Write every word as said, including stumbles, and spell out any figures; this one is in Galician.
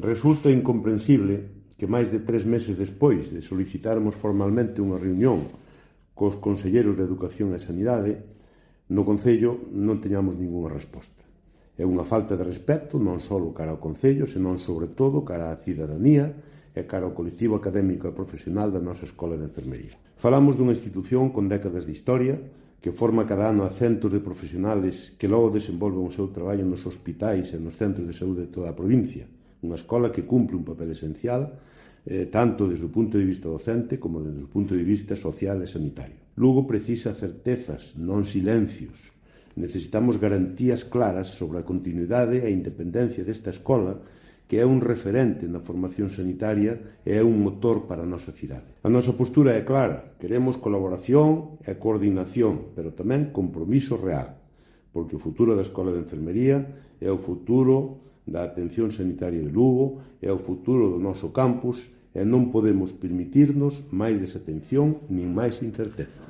Resulta incomprensible que máis de tres meses despois de solicitarmos formalmente unha reunión cos conselleiros de Educación e Sanidade, no Concello non teñamos ningunha resposta. É unha falta de respecto non só cara ao Concello, senón sobre todo cara á cidadanía e cara ao colectivo académico e profesional da nosa Escola de Enfermería. Falamos dunha institución con décadas de historia, que forma cada ano a centos de profesionales que logo desenvolven o seu traballo nos hospitais e nos centros de saúde de toda a provincia. Unha escola que cumpre un papel esencial, eh, tanto desde o punto de vista docente como desde o punto de vista social e sanitario. Lugo precisa certezas, non silencios. Necesitamos garantías claras sobre a continuidade e a independencia desta escola, que é un referente na formación sanitaria e é un motor para a nosa cidade. A nosa postura é clara, queremos colaboración e coordinación, pero tamén compromiso real, porque o futuro da Escola de Enfermería é o futuro da atención sanitaria de Lugo, é o futuro do noso campus e non podemos permitirnos máis desatención nin máis incerteza.